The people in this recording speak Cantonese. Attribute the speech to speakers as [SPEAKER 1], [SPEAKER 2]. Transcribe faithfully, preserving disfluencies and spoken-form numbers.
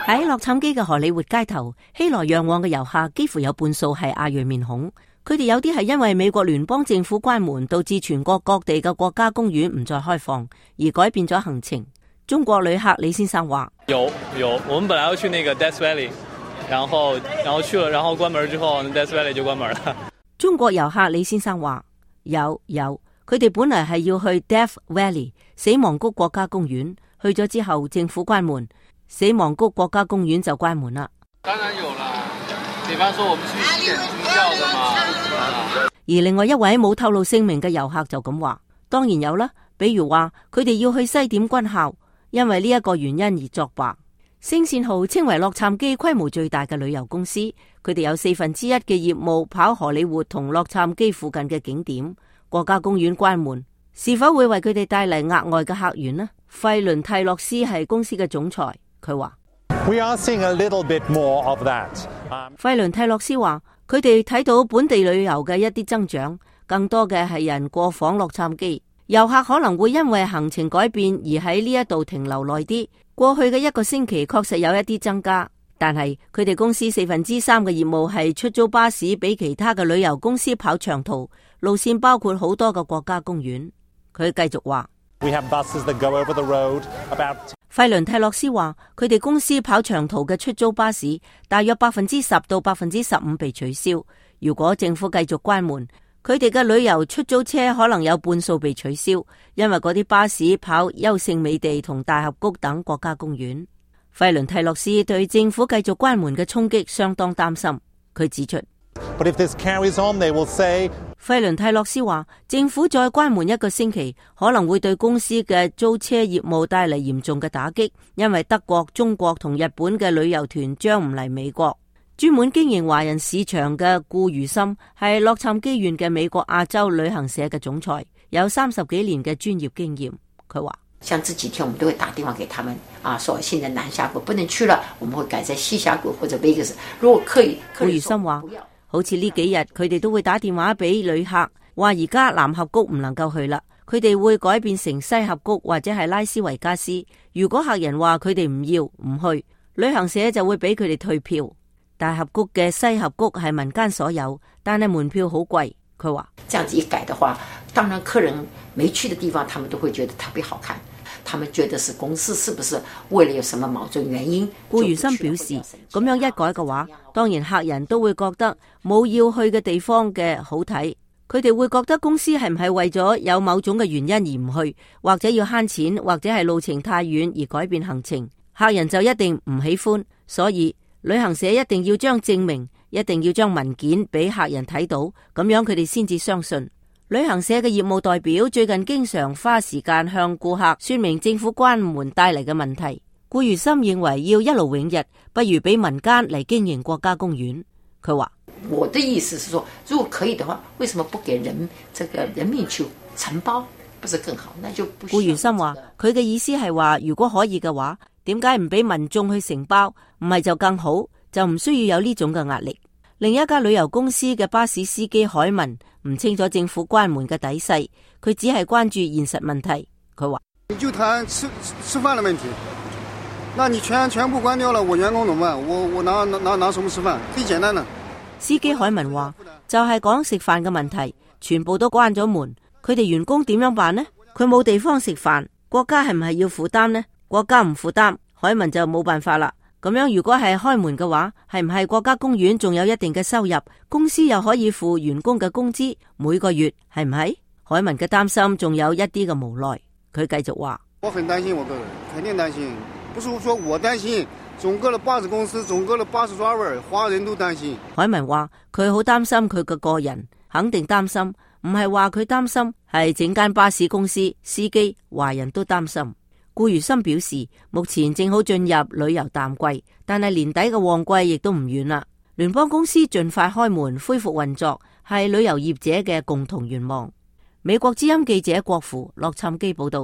[SPEAKER 1] 喺洛杉磯嘅荷里活街頭，熙來攘往嘅遊客幾乎有半數係亞裔面孔。佢哋有啲係因為美國聯邦政府關門，導致全國各地嘅國家公園唔再開放，而改變咗行程。中國旅客李先生話：
[SPEAKER 2] 有有，我們本來要去那個 Death Valley， 然後然後去了，然後關門之後 Death Valley 就關門了。
[SPEAKER 1] 中國遊客李先生話：有有，佢哋本來係要去 Death Valley 死亡谷國家公園，去咗之後政府關門，死亡谷國家公園就關門啦。
[SPEAKER 2] 當然有啦，比方說我們去見宗教的嘛。
[SPEAKER 1] 而另外一位冇透露姓名嘅遊客就咁話：當然有啦，比如話佢哋要去西點軍校，因為呢一個原因而作罷。星線號稱為洛杉磯規模最大嘅旅遊公司，佢哋有四分之一嘅業務跑荷里活同洛杉磯附近嘅景點。國家公園關門，是否會為佢哋帶嚟額外嘅客源呢？費倫蒂洛斯係公司嘅總裁，佢話
[SPEAKER 3] ：We are seeing a little bit more of that。
[SPEAKER 1] 費倫蒂洛斯話：佢哋睇到本地旅遊嘅一啲增長，更多嘅係人過訪洛杉磯，遊客可能會因為行程改變而喺呢一度停留耐啲。過去嘅一個星期確實有一啲增加，但係佢哋公司四分之三嘅業務係出租巴士俾其他嘅旅遊公司跑長途，路線包括好多個國家公園。佢繼續話：
[SPEAKER 3] We have buses that go over the road about。
[SPEAKER 1] 費倫蒂洛斯話，佢哋公司跑長途嘅出租巴士大約百分之十到百分之十五被取消。如果政府繼續關門，佢哋嘅旅遊出租車可能有半數被取消，因為嗰啲巴士跑優勝美地同大峽谷等國家公園。費倫蒂洛斯對政府繼續關門嘅衝擊相當擔心。佢指出，
[SPEAKER 3] But if this carries on, they will say，
[SPEAKER 1] 費倫蒂洛斯話，政府再關門一個星期，可能會對公司嘅租車業務帶嚟嚴重嘅打擊，因為德國、中國同日本嘅旅遊團將唔嚟美國。專門經營華人市場嘅顧如森係洛杉磯縣嘅美國亞洲旅行社嘅總裁，有三十幾年嘅專業經驗。佢話：
[SPEAKER 4] 像這幾天我們都會打電話給他們啊，說現在南峽谷不能去了，我們會改在西峽谷或者 Vegas。如果可以，
[SPEAKER 1] 顧如森話，好似呢幾日佢哋都會打電話俾旅客，話而家南峽谷唔能夠去啦，佢哋會改變成西峽谷或者係拉斯維加斯。如果客人話佢哋唔要唔去，旅行社就會俾佢哋退票。大峽谷嘅西峽谷係民間所有，但係門票好貴。佢話：
[SPEAKER 4] 這樣子一改的話，當然客人沒去的地方，他們都會覺得特別好看。他們覺得是公司是不是為了有什麼矛盾原因？
[SPEAKER 1] 顧如森表示，咁樣一改嘅話，當然客人都會覺得冇要去嘅地方嘅好睇。佢哋會覺得公司係唔係為咗有某種嘅原因而唔去，或者要慳錢，或者係路程太遠而改變行程，客人就一定唔喜歡。所以旅行社一定要將證明，一定要將文件俾客人睇到，咁樣佢哋先至相信。旅行社嘅業務代表最近經常花時間向顧客說明政府關門帶嚟嘅問題。顧如森認為要一勞永逸，不如俾民間嚟經營國家公園。佢話：
[SPEAKER 4] 我的意思是說，如果可以的話，為什麼不給人這個人民去承包，不是更好？那就不。
[SPEAKER 1] 顧如森話，佢嘅意思係話，如果可以嘅話，點解唔俾民眾去承包？唔係就更好，就唔需要有呢種嘅壓力。另一家旅遊公司嘅巴士司機海文唔清楚政府關門嘅底細，佢只係關注現實問題。佢話：
[SPEAKER 5] 你就談吃吃飯的問題，那你全全部關掉了，我員工怎麼辦？我我拿拿拿什麼吃飯？最簡單的。
[SPEAKER 1] 司機海文話：就係講食飯嘅問題，全部都關咗門，佢哋員工點樣辦呢？佢冇地方食飯，國家係唔係要負擔呢？國家唔負擔，海文就冇辦法啦。咁樣如果係開門嘅話，係唔係國家公園仲有一定嘅收入，公司又可以付員工嘅工資，每個月係唔係？海文嘅擔心仲有一啲嘅無奈，佢繼續話：
[SPEAKER 5] 我很擔心，我個人肯定擔心，不是說我擔心，整個的巴士公司，整個的巴士 driver，華人都擔心。
[SPEAKER 1] 海文話佢好擔心佢嘅個人，肯定擔心，唔係話佢擔心，係整間巴士公司司機華人都擔心。顧如森表示，目前正好進入旅遊淡季，但係年底嘅旺季亦都唔遠啦。聯邦公司盡快開門恢復運作，係旅遊業者嘅共同願望。美國之音記者郭芙洛杉磯報道。